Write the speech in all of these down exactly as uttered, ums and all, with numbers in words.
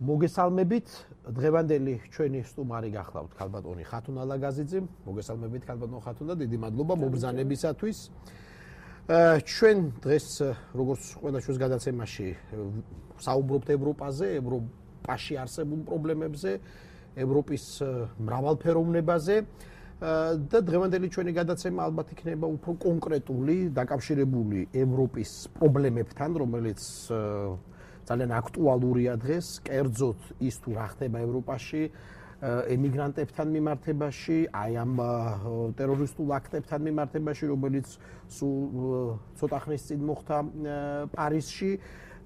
მოგესალმებით, დღევანდელი ჩვენი სტუმარი გახლავთ ქალბატონი ხათუნ ალაგაზიძე. მოგესალმებით ქალბატონ ხათუნა, დიდი მადლობა მობრძანებისათვის. ჩვენ დღეს როგორც ყველა ჩვენს გადაცემაში საუბრობთ ევროპაზე, ევროპაში არსებულ პრობლემებზე, ევროპის მრავალფეროვნებაზე და დღევანდელი ჩვენი გადაცემა ალბათ იქნება უფრო კონკრეტული, დაკავშირებული ევროპის პრობლემებთან, რომელიც ძალიან აქტუალურია დღეს, კერძოდ ის თუ რა ხდება ევროპაში, ემიგრანტებთან მიმართებაში, აი ამ ტერორისტულ აქტებთან მიმართებაში, რომელიც სულ ცოტა ხნის წინ მოხდა პარიზში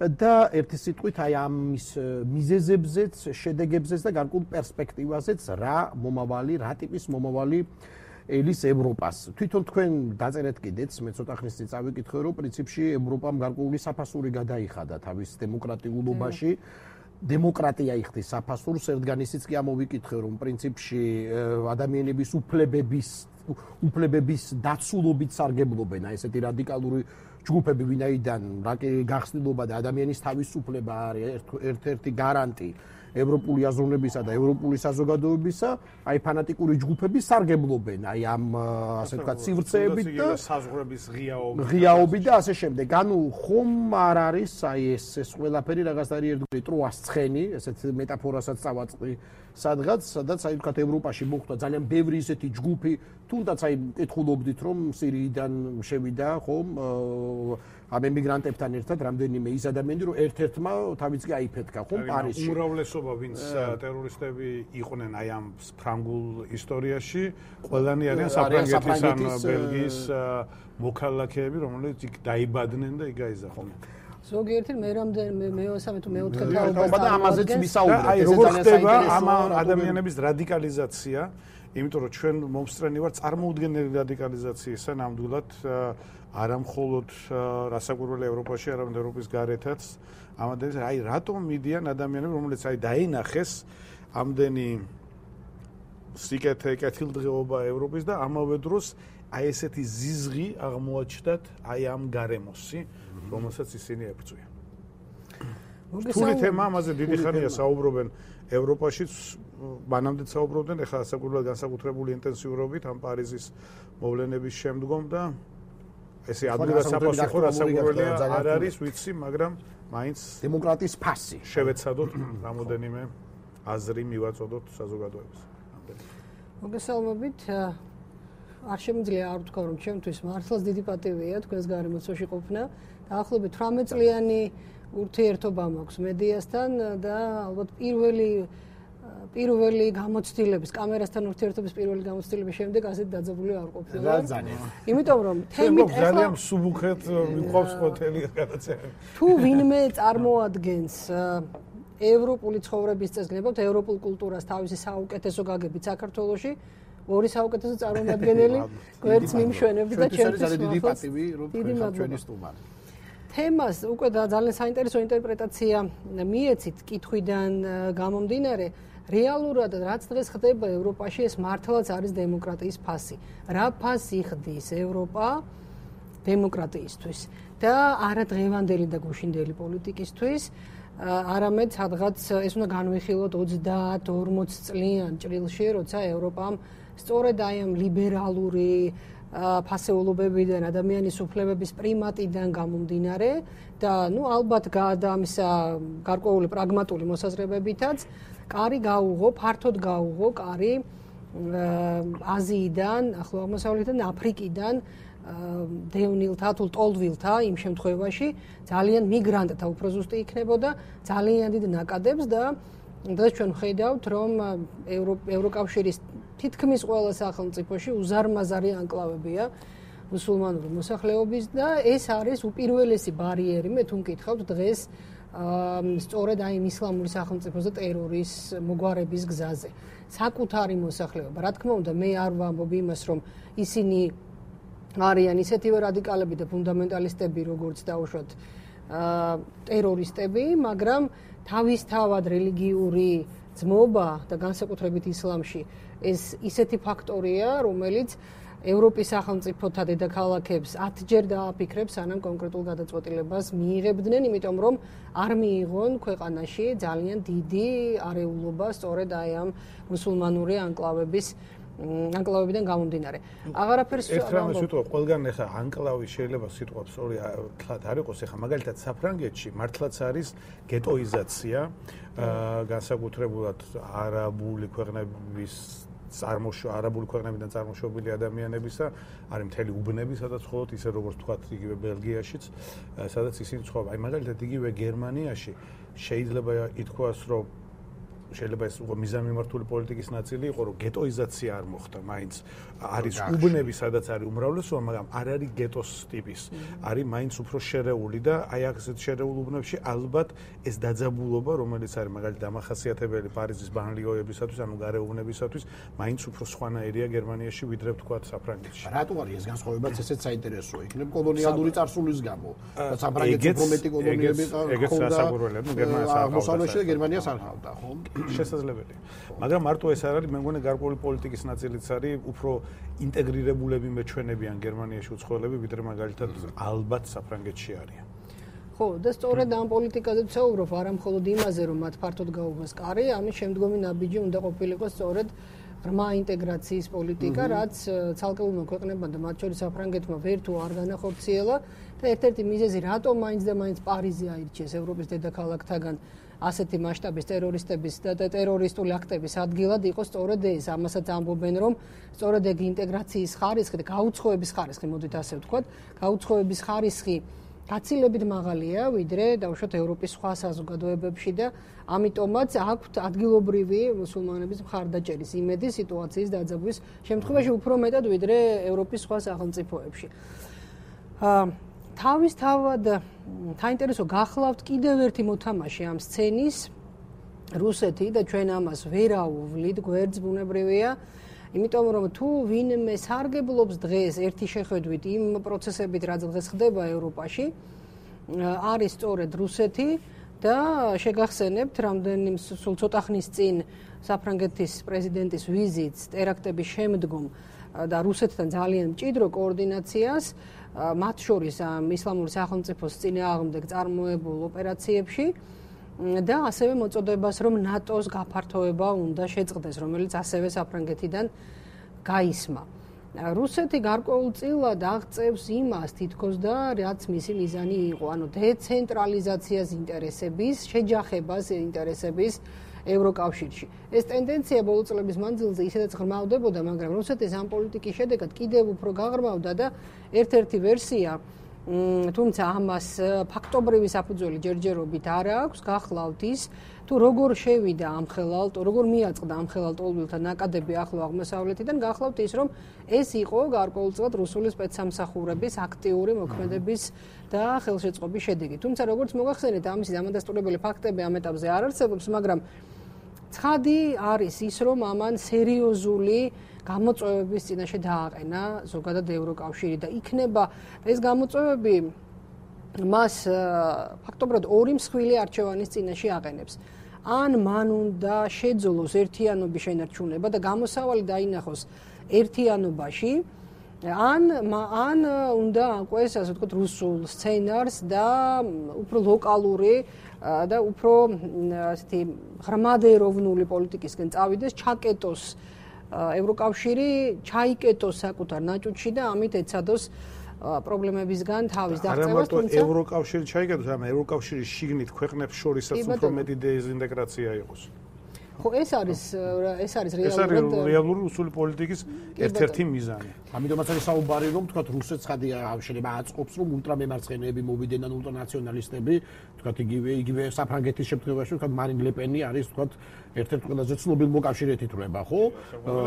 და ერთი სიტყვით აი ამის მიზეზებზეც, შედეგებზეც და გარკვეულ პერსპექტივაზეც რა მომავალი, რა ტიპის მომავალი ელის ევროპას. თვითონ თქვენ დაწერეთ კიდეც, მე ცოტა ხნის წინ წავიკითხე, რომ პრინციპში ევროპამ გარკვეული საფასური გადაიხადა თავის დემოკრატიულობაში. დემოკრატია იხდის საფასურს, ერთგან ისიც კი ამოვიკითხე, რომ პრინციპში ადამიანების უფლებების უფლებების დაცულობით სარგებლობენ, აი ესეთი რადიკალური ჯგუფები, ვინაიდან გახსნილობა და ადამიანის თავისუფლება არის ერთ-ერთი გარანტი ევროპული აზროვნებისა და ევროპული საზოგადოებისა, აი ფანატიკური ჯგუფები სარგებლობენ აი ამ ასე ვთქვათ სივრცეებით და საზღვრების ღიაობით ღიაობით და ასე შემდეგ. ანუ ხომ არ არის აი ეს ეს ყველაფერი რაღაც არის ერთგვარი ტროას ცხენი, ესეთ მეტაფორასაც წავაწყდი სადღაც, სადაც აი ვთქვათ ევროპაში მოხდა ძალიან ბევრი ისეთი ჯგუფი, თუნდაც აი კითხულობდით რომ სირიიდან შევიდა ხომ ამ ემიგრანტებთან ერთად რამდენიმე ის ადამიანი რომ ერთ-ერთმა თავიც კი აიფეთქა ხომ პარიზში. უმრავლესობა ვინც ტერორისტები იყვნენ აი ამ ფრანგულ ისტორიაში, ყველანი არიან საფრანგეთის ან ბელგიის მოქალაქეები, რომელიც იქ დაიბადნენ და იქ გაიზარდნენ. ზოგიერთი მე რამდენი მეოცე თუ მეოთხე თაობა და ამაზეც ვისაუბრეთ. აი როგორ ხდება ამ ადამიანების რადიკალიზაცია, იმიტომ რომ ჩვენ მომსწრენი ვართ წარმოუდგენელი რადიკალიზაციისა ნამდვილად არა მხოლოდ რასაკვირველი ევროპაში, არამედ ევროპის გარეთაც. ამადენის აი რატომ მიდიან ადამიანები, რომელიც აი დაინახეს ამდენი სიკეთე, კეთილდღეობა ევროპის და ამავე დროს აი ესეთი ზიზღი აღმოაჩნდათ აი ამ გარემოსი, რომელსაც ისინი ებრძვიან. რთული თემა, ამაზე დიდი ხანია საუბრობენ ევროპაშიც, მანამდეც საუბრობდნენ, ეხლა საკუთრებულად განსაკუთრებული ინტენსიურობით ამ პარიზის მოვლენების შემდგომ და ესე ადვილად საფასურო რასაკვირველია არ არის, ვიცი, მაგრამ მაინც დემოკრატიის ფასი შევეცადოთ რამოდენიმე აზრი მივაწოდოთ საზოგადოებას. მოგესალმებით. არ შემიძლია არ ვთქვა, რომ ჩემთვის მართლაც დიდი პატივია თქვენს გარემოცვაში ყოფნა. დაახლოებით თვრამეტ წლიანი ურთიერთობა მაქვს მედიასთან და ალბათ პირველი პირველი გამოცდილების, კამერასთან ურთიერთობის პირველი გამოცდილების შემდეგ ასეთ დაძაბული არ ყოფილა. რა ძალიან. იმიტომ რომ თემით ახლა ძალიან მსუბუქეთ მიყვავს ჰოტელი გადაცემა. თუ ვინმე წარმოადგენს ევროპული ცხოვრების წესს, გნებავთ ევროპულ კულტურას თავისი საუკეთესო გაგებით საქართველოში, ორი საუკეთესო წარმომადგენელი გვერდს მიმშვენებთ და ჩემთვის დიდი პატივი რომ ჩვენი სტუმარი. თემას უკვე ძალიან საინტერესო ინტერპრეტაცია მიეცით კითხვიდან გამომდინარე. რეალურად რაც დღეს ხდება ევროპაში, ეს მართლაც არის დემოკრატიის ფასი. რა ფასი ხდის ევროპა დემოკრატიისთვის და არა დღევანდელი და გუშინდელი პოლიტიკისთვის, არამედ სადღაც ეს უნდა განვიხილოთ ოცდაათ ორმოც წლიან ჭრილში, როცა ევროპამ სწორედ აი ამ ლიბერალური ფასეულობებიდან, ადამიანის უფლებების პრიმატიდან გამომდინარე და ნუ ალბათ გადამისა გარკვეული პრაგმატული მოსაზრებებითაც კარი გაუღო, ფართოდ გაუღო კარი აზიიდან, ახლო აღმოსავლეთიდან, აფრიკიდან დევნილთა თუ ტოლდვილთა იმ შემთხვევაში ძალიან მიგრანტთა უფრო ზუსტი იქნებოდა ძალიან დიდ ნაკადებს და დღეს ჩვენ ვხედავთ, რომ ევროკავშირის თითქმის ყველა სახელმწიფოში უზარმაზარი ანკლავებია მუსულმანური მოსახლეობის და ეს არის უპირველესი ბარიერი, მე თუ მკითხავთ დღეს სწორედ აი ისლამური სახელმწიფოს და ტერორის მოგვარების გზაზე. საკუთარი მოსახლეობა, რა თქმა უნდა, მე არ ვამბობ იმას, რომ ისინი არიან ისეთივე რადიკალები და ფუნდამენტალისტები, როგორც დაუშვათ ტერორისტები, მაგრამ თავისთავად რელიგიური ძმობა და განსაკუთრებით ისლამში ეს ისეთი ფაქტორია, რომელიც ევროპის სახელმწიფოთა დედაქალაქებს ათჯერ დააფიქრებს, სანამ კონკრეტულ გადაწყვეტილებას მიიღებდნენ, იმიტომ რომ არ მიიღონ ქვეყანაში ძალიან დიდი არეულობა სწორედ აი ამ მუსულმანური ანკლავების ანკლავებიდან გამომდინარე. აღარაფერს ერთ რამეს ვიტყვი, ყველგან ახლა ანკლავი შეიძლება სიტყვა სწორი თლად არ იყოს, ახლა მაგალითად საფრანგეთში მართლაც არის გეტოიზაცია, განსაკუთრებულად არაბული ქვეყნების წარმოშო არაბული ქვეყნებიდან წარმოშობილი ადამიანებისა, არის მთელი უბნები, სადაც მხოლოდ ისე როგორც თქვათ, იგივე ბელგიაშიც, სადაც ისინი ცხოვრობენ. აი მაგალითად იგივე გერმანიაში შეიძლება ითქვას, რომ შეიძლება ეს უკვე მიზანმიმართული პოლიტიკის ნაწილი იყო, რომ გეტოიზაცია არ მოხდა, მაინც არის უბნები, სადაც არის უმრავლესობა, მაგრამ არ არის გეტოს ტიპის. არის მაინც უფრო შერეული და აი ასეთ შერეულ უბნებში ალბათ ეს დაძაბულობა, რომელიც არის მაგალითად დამახასიათებელი პარიზის ბანლიოებისათვის, ანუ გარეუბნებისათვის, მაინც უფრო სხვანაირია გერმანიაში, ვიდრე თქვათ საფრანგეთში. რატო არის ეს განსხვავებაც ესეც საინტერესოა? იქნებ კოლონიალური წარსულის გამო. საფრანგეთში უფრო მეტი კოლონიები ჰქონდა. აღმოსავლეთში და გერმანიას არ ჰყავდა, ხო? შესაძლებელია. მაგრამ მარტო ეს არ არის, მე მგონი გარკვეული პოლიტიკის ნაწილიც არის, უფრო ინტეგრირებულები მეჩვენებიან გერმანიაში უცხოელები, ვიდრე მაგალითად ალბათ საფრანგეთში არიან. ხო, და სწორედ ამ პოლიტიკაზე ვცხოვრობ, არა მხოლოდ იმაზე, რომ მათ ფართოდ გაუღოს კარი, ამის შემდგომი ნაბიჯი უნდა ყოფილიყო სწორედ ღრმა ინტეგრაციის პოლიტიკა, რაც ცალკეულმა ქვეყნებმა და მათ შორის საფრანგეთმა ვერ თუ არ განახორციელა და ერთ-ერთი მიზეზი, რატომ მაინც და მაინც პარიზი აირჩიეს ევროპის დედაქალაქთაგან ასეთი მასშტაბის ტერორისტების და ტერორისტული აქტების ადგილად იყო სწორედ ეს. ამასაც ამბობენ, რომ სწორედ ეგ ინტეგრაციის ხარისხი და გაუცხოების ხარისხი, მოდით ასე ვთქვათ, გაუცხოების ხარისხი გაცილებით მაღალია, ვიდრე დავუშვათ ევროპის სხვა საზოგადოებებში და ამიტომაც აქვთ ადგილობრივი მუსულმანების მხარდაჭერის იმედი სიტუაციის დაძაბვის შემთხვევაში უფრო მეტად, ვიდრე ევროპის სხვა სახელმწიფოებში. თავისთავად საინტერესო გახლავთ კიდევ ერთი მოთამაშე ამ სცენის, რუსეთი და ჩვენ ამას ვერ აუვლით, გვერდს ბუნებრივია, იმიტომ რომ თუ ვინმე სარგებლობს დღეს ერთი შეხედვით იმ პროცესებით, რაც დღეს ხდება ევროპაში, არის სწორედ რუსეთი და შეგახსენებთ, რამდენი სულ ცოტა ხნის წინ საფრანგეთის პრეზიდენტის ვიზიტს ტერაქტების შემდგომ და რუსეთთან ძალიან მჭიდრო კოორდინაციას, მათ შორის ამ ისლამური სახელმწიფოს წინააღმდეგ წარმოებულ ოპერაციებში და ასევე მოწოდებას, რომ ნატოს გაფართოება უნდა შეწყდეს, რომელიც ასევე საფრანგეთიდან გაისმა. რუსეთი გარკვეულწილად აღწევს იმას თითქოს და რაც მისი მიზანი იყო, ანუ დეცენტრალიზაციას ინტერესების, შეჯახებას ინტერესების ევროკავშირში. ეს ტენდენცია ბოლო წლების მანძილზე ისედაც ღრმავდებოდა, მაგრამ რუსეთის ამ პოლიტიკის შედეგად კიდევ უფრო გაღრმავდა და ერთ-ერთი ვერსია, თუმცა ამას ფაქტობრივი საფუძველი ჯერჯერობით არ აქვს, გახლავთ ის, თუ როგორ შევიდა ამ ხელალტო, როგორ მიაწყდა ამ ხელალტოულთა ნაკადები ახლო აღმოსავლეთიდან, გახლავთ ის, რომ ეს იყო გარკვეულწილად რუსული სპეცსამსახურების აქტიური მოქმედების და ხელშეწყობის შედეგი. თუმცა როგორც მოგახსენეთ, ამისი დამადასტურებელი ფაქტები ამ ეტაპზე არ არსებობს, მაგრამ ცხადი არის ის, რომ ამან სერიოზული გამოწვევების წინაშე დააყენა ზოგადად ევროკავშირი და იქნება ეს გამოწვევები მას ფაქტობრივად ორი მსხვილი არჩევანის წინაშე აყენებს. ან მან უნდა შეძლოს ერთიანობის შენარჩუნება და გამოსავალი დაინახოს ერთიანობაში, ან ან უნდა აყვეს, ასე ვთქვათ, რუსულ სცენარს და უფრო ლოკალური და უფრო ასეთი ღრმადეროვნული პოლიტიკისკენ წავიდეს, ჩაკეტოს ევროკავშირი, ჩაიკეტოს საკუთარ ნაჭუჭში და ამით ეცადოს პრობლემებისგან თავის დაღწევას, თუმცა ევროკავშირი ჩაიკეტოს, მაგრამ ევროკავშირის შიგნით ქვეყნებს შორისაც უფრო მეტი დეინტეგრაცია იყოს. ხო, ეს არის ეს არის რეალურად ეს არის რეალური რუსული პოლიტიკის ერთ-ერთი მიზანი. ამიტომაც არის საუბარი, რომ თქვათ რუსეთს ხადი შეიძლება აწყობს, რომ ულტრამემარცხენეები მოვიდნენ ან ულტრანაციონალისტები, თქვათ იგივე იგივე საფრანგეთის შემთხვევაში, თქვათ მარინ ლე-პენი არის, თქვათ ერთ-ერთი ყველაზე ცნობილი მოკავშირეთა თრება, ხო?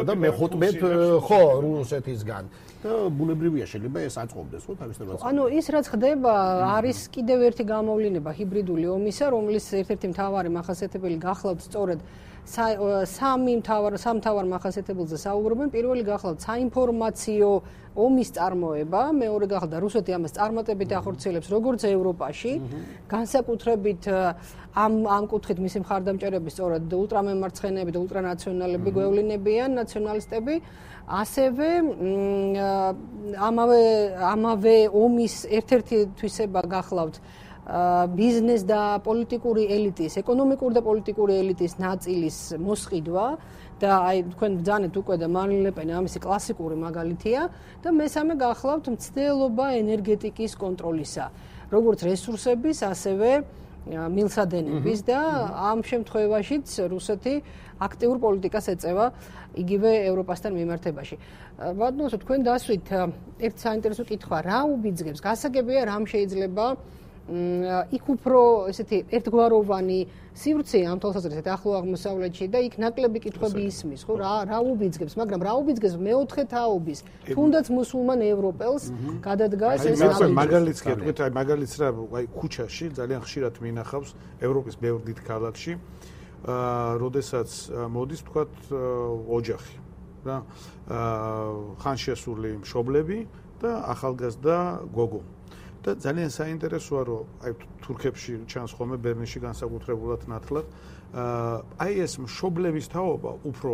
და მეხუთმეტ ხო, რუსეთისგან. და ბუნებრივია შეიძლება ეს აწყობდეს, ხო, თავისთავად. ანუ ის რაც ხდება, არის კიდევ ერთი გამოვლინება ჰიბრიდული ომისა, რომლის ერთ-ერთი მთავარი მახასიათებელი გახლავთ სწორედ სამი მთავარ სამთავარ მახასიათებელზე საუბრობენ. პირველი გახლავთ საინფორმაციო ომის წარმოება, მეორე გახლავთ რუსეთი ამას წარმატებით ახორციელებს როგორც ევროპაში, განსაკუთრებით ამ ამ კუთხით მისი მხარდამჭერები სწორად ულტრამემარცხენეები და ულტრანაციონალები გვევლინებიან, ნაციონალისტები, ასევე ამავე ამავე ომის ერთ-ერთი თვისება გახლავთ ბიზნეს და პოლიტიკური ელიტის, ეკონომიკური და პოლიტიკური ელიტის ნაწილის მოსყიდვა და აი თქვენ ბრძანეთ უკვე და მარინ ლე პენი ამისი კლასიკური მაგალითია და მესამე გახლავთ მცდელობა ენერგეტიკის კონტროლისა, როგორც რესურსების, ასევე მილსადენების და ამ შემთხვევაშიც რუსეთი აქტიურ პოლიტიკას ეწევა იგივე ევროპასთან მიმართებაში. ბატონო, თქვენ დასვით ერთ საინტერესო კითხვა, რა უბიძგებს, გასაგებია რამ შეიძლება იქ უფრო ესეთი ერთგვაროვანი სივრცე ამ თვალსაზრისით ახლო აღმოსავლეთში და იქ ნაკლები კითხვები ისმის, ხო, რა რა უბიძგებს, მაგრამ რა უბიძგებს მეოთხე თაობის, თუნდაც მუსულმან ევროპელს გადადგას ეს ნაბიჯი. მაგალითს კი თქვით, აი მაგალითს რა, აი ქუჩაში ძალიან ხშირად მინახავს ევროპის ბევრ დიდ ქალაქში, აა, როდესაც მოდის თქვათ ოჯახი, რა, აა, ხანშესული მშობლები და ახალგაზრდა გოგო. და ძალიან საინტერესოა რომ აი თურქებში ჩანს ხოლმე ბერლინში განსაკუთრებულად ნათლად აი ეს მშობლების თაობა უფრო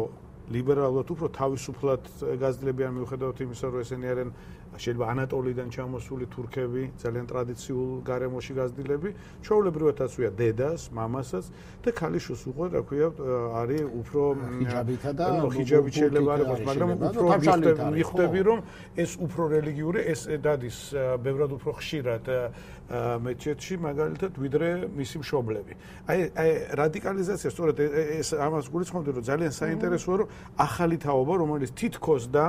ლიბერალურად უფრო თავისუფლად გაზრდებიან მიუხედავად იმისა რომ ესენი არიან შეიძლება ანატოლიდან ჩამოსული თურქები ძალიან ტრადიციულ გარემოში გაზრდილები ჩვეულებრივად ასვია დედას მამასაც და ქალიშვილს უყურე რა ქვია არის უფრო ჰიჯაბითა და ჰიჯაბით შეიძლება არ იყოს მაგრამ უფრო მიხვდები რომ ეს უფრო რელიგიური ეს დადის ბევრად უფრო ხშირად მეჩეთში მაგალითად ვიდრე მისი მშობლები აი აი რადიკალიზაცია სწორედ ეს ამას გულისხმობდი რომ ძალიან საინტერესოა რომ ახალი თაობა რომელიც თითქოს და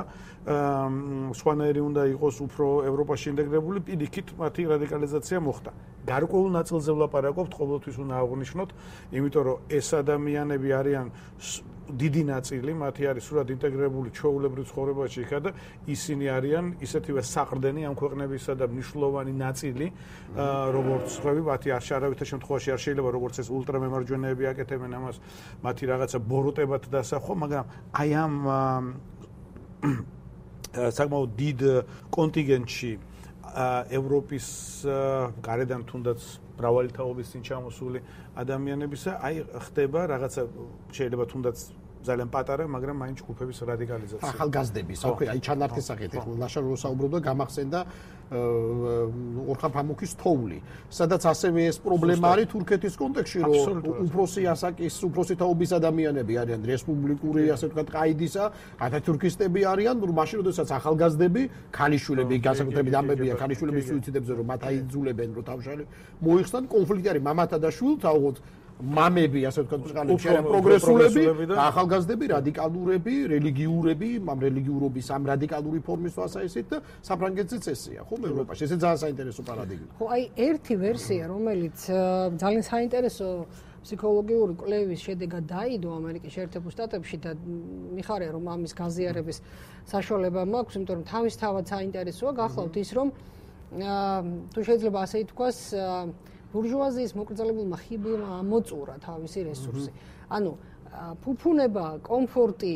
სხვანაირი უნდა იყოს უფრო ევროპაში ინტეგრებული პირიქით მათი რადიკალიზაცია მოხდა. გარკვეულ ნაწილზე ვლაპარაკობთ, ყოველთვის უნდა აღვნიშნოთ, იმიტომ რომ ეს ადამიანები არიან დიდი ნაწილი, მათი არის სრულად ინტეგრებული ჩვეულებრივ ცხოვრებაში იქა და ისინი არიან ისეთივე საყრდენი ამ ქვეყნებისა და მნიშვნელოვანი ნაწილი, როგორც ხვები, მათი არ შეარავითარ შემთხვევაში არ შეიძლება როგორც ეს ულტრამემარჯვენეები აკეთებენ ამას, მათი რაღაცა ბოროტებად დასახვა, მაგრამ აი ამ საკმაოდ დიდ კონტინგენტში ევროპის გარედან თუნდაც მრავალი თაობის წინ ჩამოსული ადამიანებისა, აი ხდება რაღაცა შეიძლება თუნდაც ძალიან პატარა, მაგრამ მაინც ჯგუფების რადიკალიზაცია. ახალგაზრდების, აკვი, აი ჩანართის სახით, ეხლა ლაშარ რო საუბრობდა, გამახსენდა ორხან ფამუქის თოვლი, სადაც ასევე ეს პრობლემა არის თურქეთის კონტექსტში, რომ უფროსი ასაკის, უფროსი თაობის ადამიანები არიან რესპუბლიკური, ასე ვთქვათ, ყაიდისა, ათათურქისტები არიან, რომ მაშინ როდესაც ახალგაზრდები, ქალიშვილები, განსაკუთრებით ამბებია ქალიშვილების სუიციდებზე, რომ მათ აიძულებენ, რომ თავშალი მოიხსნან, კონფლიქტი არის მამათა და შვილთა, ოღონდ მამები, ასე ვთქვათ, წყალებში არიან პროგრესულები, ახალგაზრდები, რადიკალურები, რელიგიურები, ამ რელიგიურობის ამ რადიკალური ფორმის ვასაისით და საფრანგეთზეც ესეა, ხო, ევროპაში. ესე ძალიან საინტერესო პარადიგმა. ხო, აი ერთი ვერსია, რომელიც ძალიან საინტერესო ფსიქოლოგიური კვლევის შედეგად დაიდო ამერიკის შეერთებულ შტატებში და მიხარია რომ ამის გაზიარების საშუალება მაქვს, იმიტომ რომ თავისთავად საინტერესოა, გახლავთ ის რომ თუ შეიძლება ასე ითქვას ბურჟუაზიის მოკრძალებულმა ხიბლმა ამოწურა თავისი რესურსი. ანუ ფუფუნება, კომფორტი,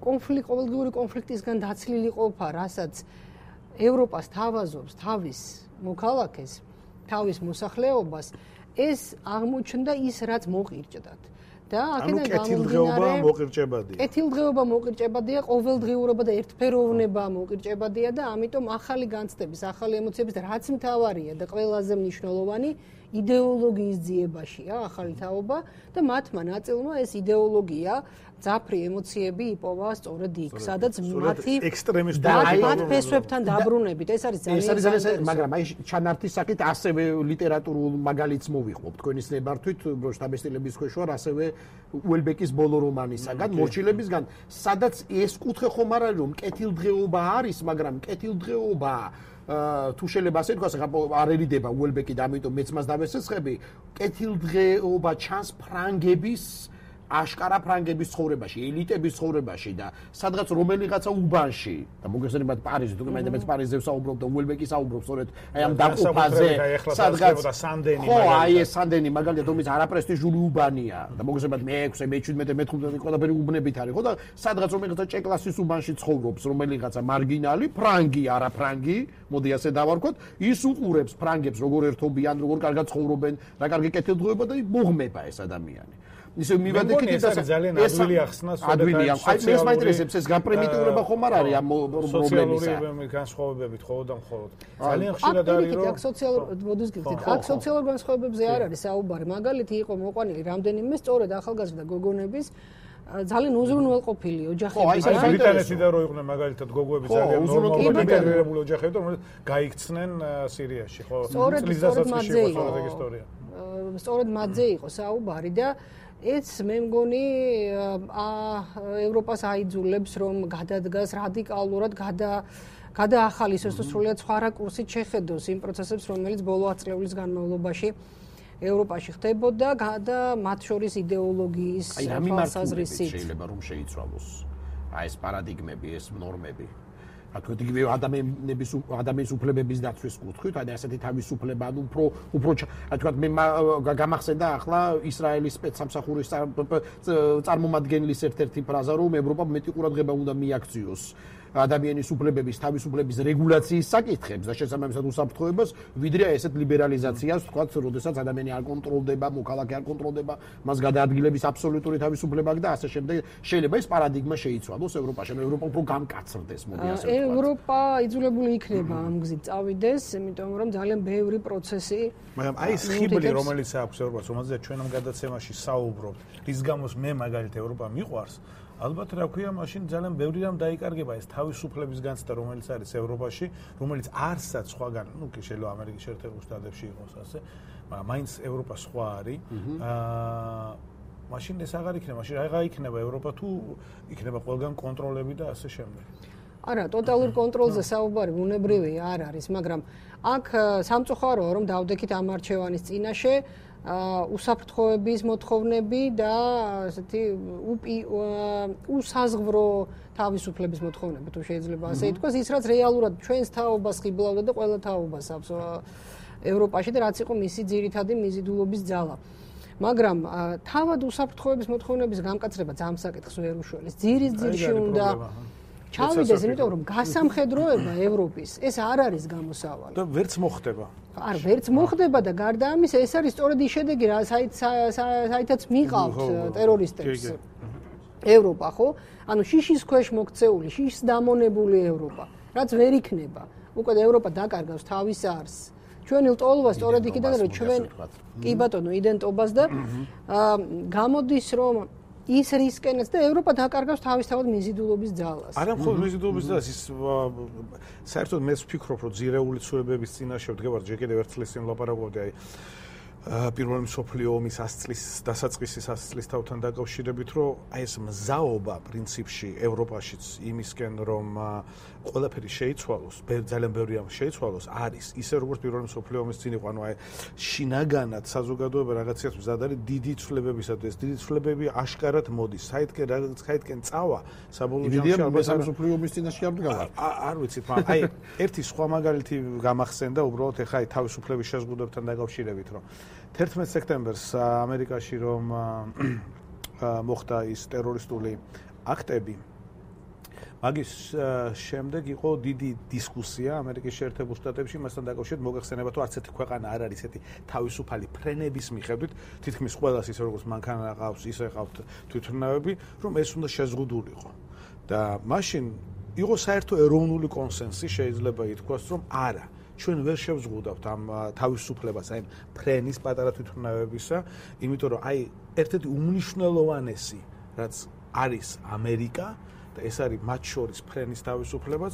კონფლიქტი, ყოველდღიური კონფლიქტისგან დაცლილი ყოფა, რასაც ევროპას თავაზობს თავის მოქალაქეს, თავის მოსახლეობას, ეს აღმოჩნდა ის, რაც მოყირჭდათ. და აქედან გამომდინარე მოყირჭებადია. კეთილდღეობა მოყირჭებადია, ყოველდღიურობა და ერთფეროვნება მოყირჭებადია და ამიტომ ახალი განცდების, ახალი ემოციების და რაც მთავარია და ყველაზე მნიშვნელოვანი იდეოლოგიის ძიებაშია ახალი თაობა და მათმა ნაწილმა ეს იდეოლოგია ძაფრი ემოციები იპოვა სწორედ იქ, სადაც მათი ექსტრემისტული მათ ფესვებთან დაბრუნებით. ეს არის ძალიან ეს არის ძალიან, მაგრამ აი ჩანართის საკით ასევე ლიტერატურულ მაგალითს მოვიხმობ. თქვენი ნებართვით შტაბესტილების ქვეშوار ასევე უელბეკის ბოლო რომანისაგან, მორჩილებისგან, სადაც ეს კუთხე ხომ არ არის რომ კეთილდღეობა არის, მაგრამ კეთილდღეობა თუ შეიძლება ასე თქვას, არ ერიდება უელბეკი და ამიტომ მეც მას დავესესხები, კეთილდღეობა ჩანს ფრანგების აშკარა ფრანგების ცხოვრებაში, ელიტების ცხოვრებაში და სადღაც რომელიღაცა უბანში და მოგესალმებით პარიზი, თუ მე მეც პარიზზე ვსაუბრობ და უელბეკი საუბრობს, სწორედ აი ამ დაყოფაზე სადღაც სანდენი მაგალითად. ხო, აი ეს სანდენი მაგალითად, რომელიც არაპრესტიჟული უბანია და მოგესალმებით მე-ექვსე, მე-შვიდმეტე, მე-თხუთმეტე ყველაფერი უბნებით არის, ხო და სადღაც რომელიღაცა ჭეკლასის უბანში ცხოვრობს, რომელიღაცა მარგინალი, ფრანგი, არაფრანგი, მოდი ასე დავარქვათ, ის უყურებს ფრანგებს როგორ ერთობიან, როგორ კარგად ცხოვრობენ, რა კარგი კეთილდღეობა და მოგმება ეს ადამიანი. ისე მივადექით და ძალიან ადვილი ახსნა ადვილია. აი მე მაინტერესებს ეს გაპრიმიტიურება ხომ არ არის ამ პრობლემისა. სოციალური განსხვავებებით ხოლმე და მხოლოდ. ძალიან ხშირად არის რომ აქ სოციალურ მოდის გიხდით. აქ სოციალურ განსხვავებებზე არ არის საუბარი. მაგალითი იყო მოყვანილი რამდენიმე სწორედ ახალგაზრდა გოგონების ძალიან უზრუნველყოფილი ოჯახები. აი ბრიტანეთი და რო იყვნენ მაგალითად გოგოები ძალიან ნორმალური ინტეგრირებული ოჯახები და რომელიც გაიქცნენ სირიაში, ხო? წლის დასაწყისში იყო სწორედ ისტორია. სწორედ მათზე იყო საუბარი და ეს მე მგონი ევროპას აიძულებს რომ გადადგას რადიკალურად გადა გადაახალისოს თუ სრულიად სხვა რაკურსით შეხედოს იმ პროცესებს რომელიც ბოლო ათ წლების განმავლობაში ევროპაში ხდებოდა და მათ შორის იდეოლოგიის თვალსაზრისით შეიძლება რომ შეიცვალოს აი ეს პარადიგმები ეს ნორმები ათქო იგივე ადამიანების ადამიანის უფლებების დაცვის კუთხით აი ასეთი თავისუფლება ანუ უფრო უფრო ათქო მე გამახსენდა ახლა ისრაელის სპეცსამსახურის წარმომადგენლის ერთ-ერთი ფრაზა რომ ევროპამ მეტი ყურადღება უნდა მიაქციოს ადამიანის უფლებების თავისუფლების რეგულაციის საკითხებს და შესაბამისად უსაფრთხოებას ვიდრე ესეთ ლიბერალიზაციას თქვათ როდესაც ადამიანი არ კონტროლდება მოქალაქე არ კონტროლდება მას გადაადგილების აბსოლუტური თავისუფლება აქვს და ასე შემდეგ შეიძლება ეს პარადიგმა შეიცვალოს ევროპაში ევროპა უფრო გამკაცრდეს მოდი ასე ვთქვათ ევროპა იძულებული იქნება ამ გზით წავიდეს იმიტომ რომ ძალიან ბევრი პროცესი მაგრამ აი ეს ხიბლი რომელიც აქვს ევროპას რომელზეც ჩვენ ამ გადაცემაში საუბრობთ რის გამოც მე მაგალითად ევროპა მიყვარს ალბათ რა ქვია, მაშინ ძალიან ბევრი რამ დაიკარგება ეს თავისუფლების განცდა, რომელიც არის ევროპაში, რომელიც არცაც სხვაგან, ну, შეიძლება ამერიკის შეერთებულ შტატებში იყოს ასე, მაგრამ მაინც ევროპა სხვა არის. აა მაშინ ეს აღარ იქნება, მაშინ აღარ იქნება ევროპა თუ იქნება ყველგან კონტროლები და ასე შემდეგ. არა, ტოტალურ კონტროლზე საუბარი ბუნებრივი არ არის, მაგრამ აქ სამწუხაროა რომ დავდექით ამ არჩევანის წინაშე უსაფრთხოების მოთხოვნები და ასეთი უსაზღვრო თავისუფლების მოთხოვნები თუ შეიძლება ასე ითქვას ის რაც რეალურად ჩვენს თაობას ხიბლავდა და ყველა თაობას აქვს ევროპაში და რაც იყო მისი ძირითადი მიზიდულობის ძალა მაგრამ თავად უსაფრთხოების მოთხოვნების გამკაცრება ძამსაკითხს ვერ უშველეს ძირის ძირში უნდა ჩავიდეს იმიტომ რომ გასამხედროება ევროპის ეს არ არის გამოსავალი და ვერც მოხდება არ ვერც მოხდება და გარდა ამისა ეს არის სწორედ ის შედეგი რა საითაც მიყავთ ტერორისტებს ევროპა ხო ანუ შიშის ქვეშ მოქცეული შიშს დამონებული ევროპა რაც ვერ იქნება უკვე ევროპა დაკარგავს თავის არს ჩვენი ლტოლვა სწორედ იქიდან რომ ჩვენ კი ბატონო იდენტობას და გამოდის რომ ის რისკენაც და ევროპა დაკარგავს თავისთავად მიზიდულობის ძალას. არა მხოლოდ მიზიდულობის ძალას, ის საერთოდ მეც ვფიქრობ, რომ ძირეული ცვლილებების წინაშე ვდგებარ, ჯერ კიდევ ერთხელ ისინი ლაპარაკობდი, აი პირველი მსოფლიო ომის ას წლის დასაწყისის ას წლის თავთან დაკავშირებით, რომ აი ეს მზაობა პრინციპში ევროპაშიც იმისკენ, რომ ყველაფერი შეიცვალოს, ძალიან ბევრი ამ შეიცვალოს, არის ისე როგორც პირველი მსოფლიო ომის წინ იყო, ანუ აი შინაგანად საზოგადოება რაღაცას მზად არის დიდი ცვლილებებისათვის, დიდი ცვლილებები აშკარად მოდის, საითკენ რაღაც საითკენ წავა, საბოლოო ჯამში ალბათ მსოფლიო ომის წინაშე არ დგავარ. არ ვიცით, მაგრამ აი ერთი სხვა მაგალითი გამახსენდა უბრალოდ ეხა აი თავისუფლების შეზღუდვებთან დაკავშირებით, რომ თერთმეტ სექტემბერს ამერიკაში რომ მოხდა ის ტერორისტული აქტები მაგის შემდეგ იყო დიდი დისკუსია ამერიკის შეერთებულ შტატებში მასთან დაკავშირებით მოგეხსენება თუ არც ერთი ქვეყანა არ არის ესეთი თავისუფალი ფრენების მიხედვით თითქმის ყველას ისე როგორც მანქანა ყავს ისე ყავთ თვითმფრინავები რომ ეს უნდა შეზღუდულიყო და მაშინ იყო საერთო ეროვნული კონსენსუსი შეიძლება ითქვას რომ არა ჩვენ ვერ შევზღუდავთ ამ თავისუფლებას აი ფრენის პატარა თვითმფრინავებისა იმიტომ რომ აი ერთ-ერთი უმნიშვნელოვანესი რაც არის ამერიკა და ეს არის მათ შორის ფრენის თავისუფლებაც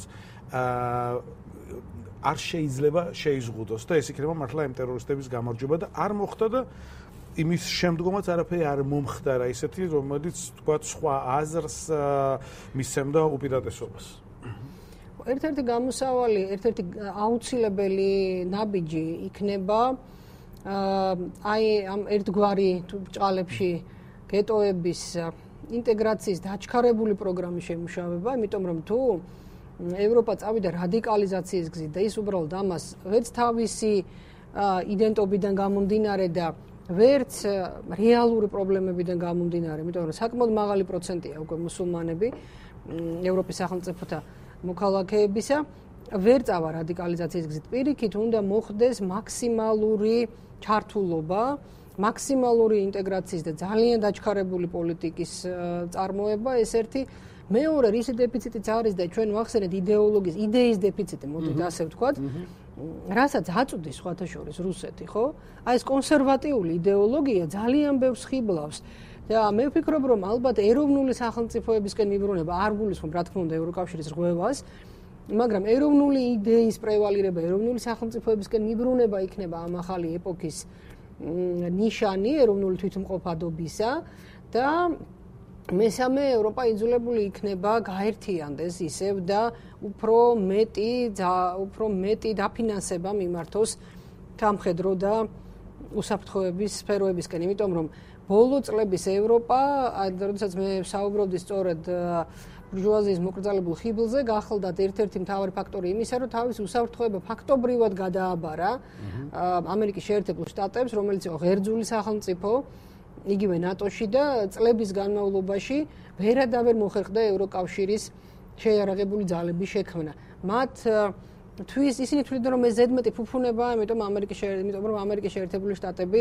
არ შეიძლება შეიზღუდოს და ეს იქნება მართლა იმ ტერორისტების გამარჯვება და არ მოხდა და იმის შემდგომაც არაფერი არ მომხდარა ისეთი რომელიც თქვა სხვა აზრს მისცემდა უპირატესობას ერთ-ერთი გამოსავალი, ერთ-ერთი აუცილებელი ნაბიჯი იქნება აი ამ ერთგვარი ბჭყალებში გეტოების ინტეგრაციის დაჩქარებული პროგრამის შემუშავება, იმიტომ რომ თუ ევროპა წავიდა რადიკალიზაციის გზით და ის უბრალოდ ამას ვერც თავისი იდენტობიდან გამომდინარე და ვერც რეალური პრობლემებიდან გამომდინარე, იმიტომ რომ საკმაოდ მაღალი პროცენტია უკვე მუსულმანები ევროპის სახელმწიფოთა მოქალაქეებისა, ვერ წავა რადიკალიზაციის გზით. პირიქით უნდა მოხდეს მაქსიმალური ჩართულობა, მაქსიმალური ინტეგრაციის და ძალიან დაჩქარებული პოლიტიკის წარმოება, ეს ერთი. მეორე, რის დეფიციტიც არის და ჩვენ ვახსენეთ იდეოლოგიის, იდეის დეფიციტი, მოდით ასე ვთქვათ, რასაც აწვდის სხვათა შორის რუსეთი, ხო? აი ეს კონსერვატიული იდეოლოგია ძალიან ბევრს ხიბლავს. და მე ვფიქრობ, რომ ალბათ ეროვნული სახელმწიფოებისკენ მიბრუნება არ გულისხმობ, რა თქმა უნდა, ევროკავშირის რღვევას, მაგრამ ეროვნული იდეის პრევალირება, ეროვნული სახელმწიფოებისკენ მიბრუნება იქნება ამ ახალი ეპოქის ნიშანი ეროვნული თვითმყოფადობისა და მესამე ევროპა იძულებული იქნება გაერთიანდეს ისევ და უფრო მეტი უფრო მეტი დაფინანსება მიმართოს სამხედრო და უსაფრთხოების სფეროებისკენ, იმიტომ რომ ბოლო წლების ევროპა, როდესაც მე საუბრობდი სწორედ ბურჟუაზიის მოკრძალებულ ხიბლზე, გახლდათ ერთ-ერთი მთავარი ფაქტორი იმისა, რომ თავის უსაფრთხოება ფაქტობრივად გადააბარა ამერიკის შეერთებულ შტატებს, რომელიც იყო ღერძული სახელმწიფო, იგივე ნატოში და წლების განმავლობაში ვერადავერ მოხერხდა ევროკავშირის შეიარაღებული ძალების შექმნა. მათ თვის ისინი თვლიდნენ, რომ ეს ზედმეტი ფუფუნებაა, იმიტომ ამერიკის იმიტომ რომ ამერიკის შეერთებული შტატები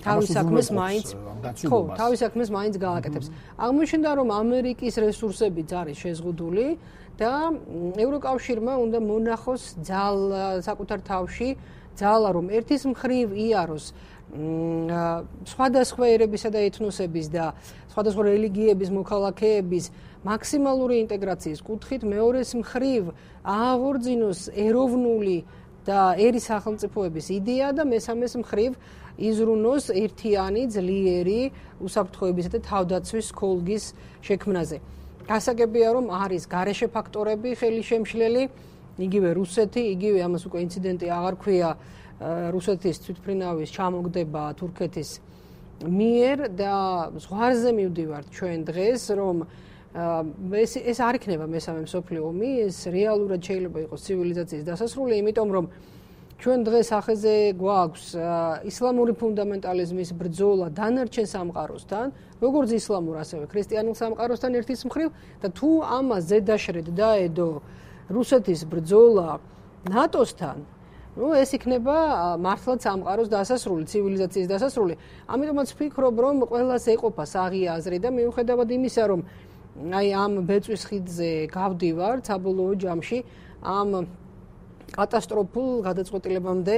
თავის საქმეს მაინც ხო, თავის საქმეს მაინც გააკეთებს. აღმოჩნდა, რომ ამერიკის რესურსებიც არის შეზღუდული და ევროკავშირმა უნდა მონახოს ძალა საკუთარ თავში, ძალა რომ ერთის მხრივ იაროს სხვადასხვა ერებისა და ეთნოსების და სხვადასხვა რელიგიების მოქალაქეების მაქსიმალური ინტეგრაციის კუთხით, მეორეს მხრივ ააღორძინოს ეროვნული და ერი სახელმწიფოების იდეა და მესამეს მხრივ იზრუნოს ერთიანი, ძლიერი უსაფრთხოებისა და თავდაცვის ქოლგის შექმნაზე. გასაგებია, რომ არის გარეშე ფაქტორები ხელი შემშლელი, იგივე რუსეთი, იგივე ამას უკვე ინციდენტი აღარ ქვია რუსეთის თვითმფრინავის ჩამოგდება თურქეთის მიერ და ზღვარზე მივდივართ ჩვენ დღეს, რომ ეს ეს არ იქნება მესამე მსოფლიო ომი, ეს რეალურად შეიძლება იყოს ცივილიზაციის დასასრული, იმიტომ რომ ჩვენ დღეს ახეზე გვაქვს ისლამური ფუნდამენტალიზმის ბრძოლა დანარჩენ სამყაროსთან, როგორც ისლამურ, ასევე ქრისტიანულ სამყაროსთან ერთის მხრივ და თუ ამას ზედაშრედ დაედო რუსეთის ბრძოლა ნატოსთან, ну ეს იქნება მართლაც სამყაროს დასასრული, ცივილიზაციის დასასრული. ამიტომაც ვფიქრობ, რომ ყველას ეყოფა საღია აზრი და მიუხედავად იმისა, რომ აი ამ ბეწვის ხიდზე გავდივარ საბოლოო ჯამში, ამ კატასტროფულ გადაწყვეტილებამდე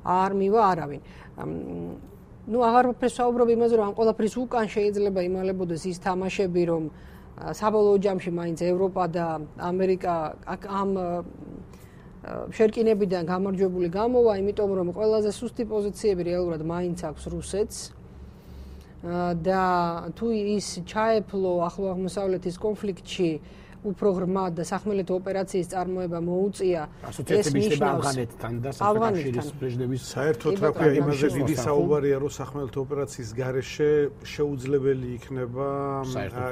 არ მივა არავინ. ну აღარ ვფესაუბრობ იმაზე, რომ ამ ყველაფრის უკან შეიძლება იმალებოდეს ის თამაშები, რომ საბოლოო ჯამში მაინც ევროპა და ამერიკა ამ შერკინებიდან გამარჯვებული გამოვა, იმიტომ რომ ყველაზე სუსტი პოზიციები რეალურად მაინც აქვს რუსეთს და თუ ის ჩაეფლო ახლო აღმოსავლეთის კონფლიქტში უფრო ღრმად და სახმელეთო ოპერაციის წარმოება მოუწია ეს ნიშნავს ავღანეთთან და საფრანგეთის პრეზიდენტის საერთოდ რა ქვია იმაზე დიდი საუბარია, რომ სახმელეთო ოპერაციის გარეშე შეუძლებელი იქნება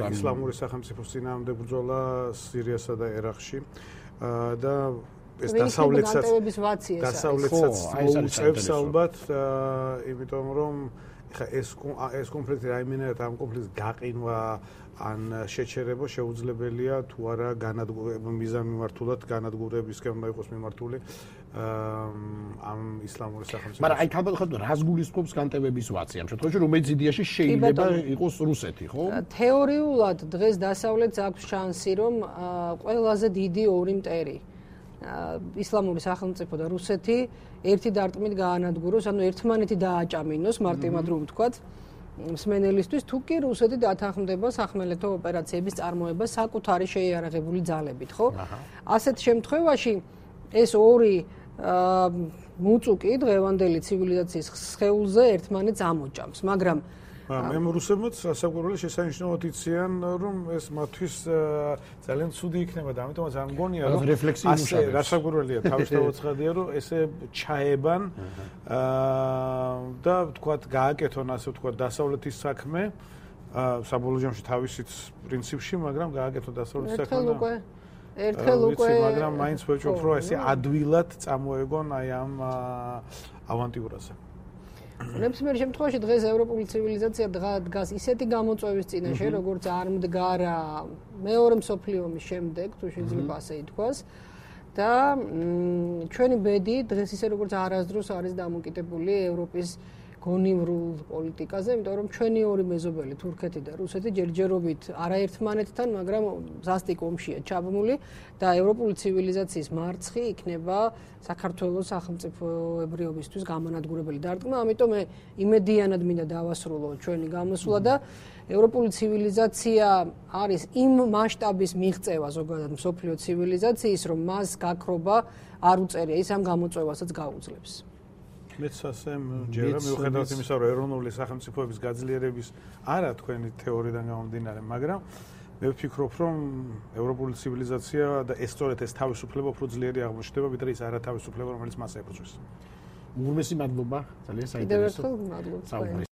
ისლამური სახელმწიფოს წინააღმდეგ ბრძოლა სირიასა და ერაყში და ეს დასავლეთსაც დასავლეთსაც მოუწევს ალბათ, იმიტომ რომ ხა ეს ეს კონფლიქტი რაიმენად ამ კონფლიქტს გაყინვა ან შეჩერება შეუძლებელია თუ არა განადგურება მიზანმიმართულად განადგურებისკენ უნდა იყოს მიმართული ამ ისლამური სახელმწიფოს. მაგრამ აი თავად რას გულისხმობს განტევების ვაცი ამ შემთხვევაში, რომელიც იდეაში შეიძლება იყოს რუსეთი, ხო? თეორიულად დღეს დასავლეთს აქვს შანსი, რომ ყველაზე დიდი ორი მტერი ისლამური სახელმწიფო და რუსეთი ერთი დარტყმით გაანადგუროს, ანუ ერთმანეთი დააჭამინოს, მარტივად რომ ვთქვათ, მსმენელისთვის, თუ კი რუსეთი დათანხმდება სახმელეთო ოპერაციების წარმოება საკუთარი შეიარაღებული ძალებით, ხო? ასეთ შემთხვევაში ეს ორი მუწუკი დღევანდელი ცივილიზაციის სხეულზე ერთმანეთს ამოჭამს, მაგრამ მე რუსებმაც რასაკვირველია შესანიშნავად იციან, რომ ეს მათთვის ძალიან ცუდი იქნება და ამიტომაც არ მგონია, რომ ასე რასაკვირველია თავისთავად ცხადია, რომ ესე ჩაებან და ვთქვათ გააკეთონ ასე ვთქვათ დასავლეთის საქმე საბოლოო ჯამში თავისით პრინციპში, მაგრამ გააკეთო დასავლეთ საქმე. ერთხელ უკვე ერთხელ უკვე მაგრამ მაინც ვეჭვობთ, რომ ესე ადვილად წამოეგონ აი ამ ავანტიურაზე. ნებისმიერ შემთხვევაში დღეს ევროპული ცივილიზაცია დგას ისეთი გამოწვევის წინაშე, როგორც არ მდგარა მეორე მსოფლიო ომის შემდეგ, თუ შეიძლება ასე ითქვას. და ჩვენი ბედი დღეს ისე როგორც არასდროს არის დამოკიდებული ევროპის გონივრულ პოლიტიკაზე, იმიტომ რომ ჩვენი ორი მეზობელი თურქეთი და რუსეთი ჯერჯერობით არაერთმანეთთან, მაგრამ ზასტიკ ომშია ჩაბმული და ევროპული ცივილიზაციის მარცხი იქნება საქართველოს სახელმწიფოებრიობისთვის გამანადგურებელი დარტყმა, ამიტომ მე იმედიანად მინდა დავასრულო ჩვენი გამოსვლა და ევროპული ცივილიზაცია არის იმ მასშტაბის მიღწევა ზოგადად მსოფლიო ცივილიზაციის, რომ მას გაქრობა არ უწერია, ის ამ გამოწვევასაც გაუძლებს. მეც ასე მჯერა მიუხედავად იმისა, რომ ეროვნული სახელმწიფოების გაძლიერების არა თქვენი თეორიიდან გამომდინარე, მაგრამ მე ვფიქრობ, რომ ევროპული ცივილიზაცია და ეს სწორედ ეს თავისუფლება უფრო ძლიერი აღმოჩნდება, ვიდრე ის არა თავისუფლება, რომელიც მას ებრძვის. უღრმესი მადლობა, ძალიან საინტერესო. კიდევ ერთხელ მადლობა.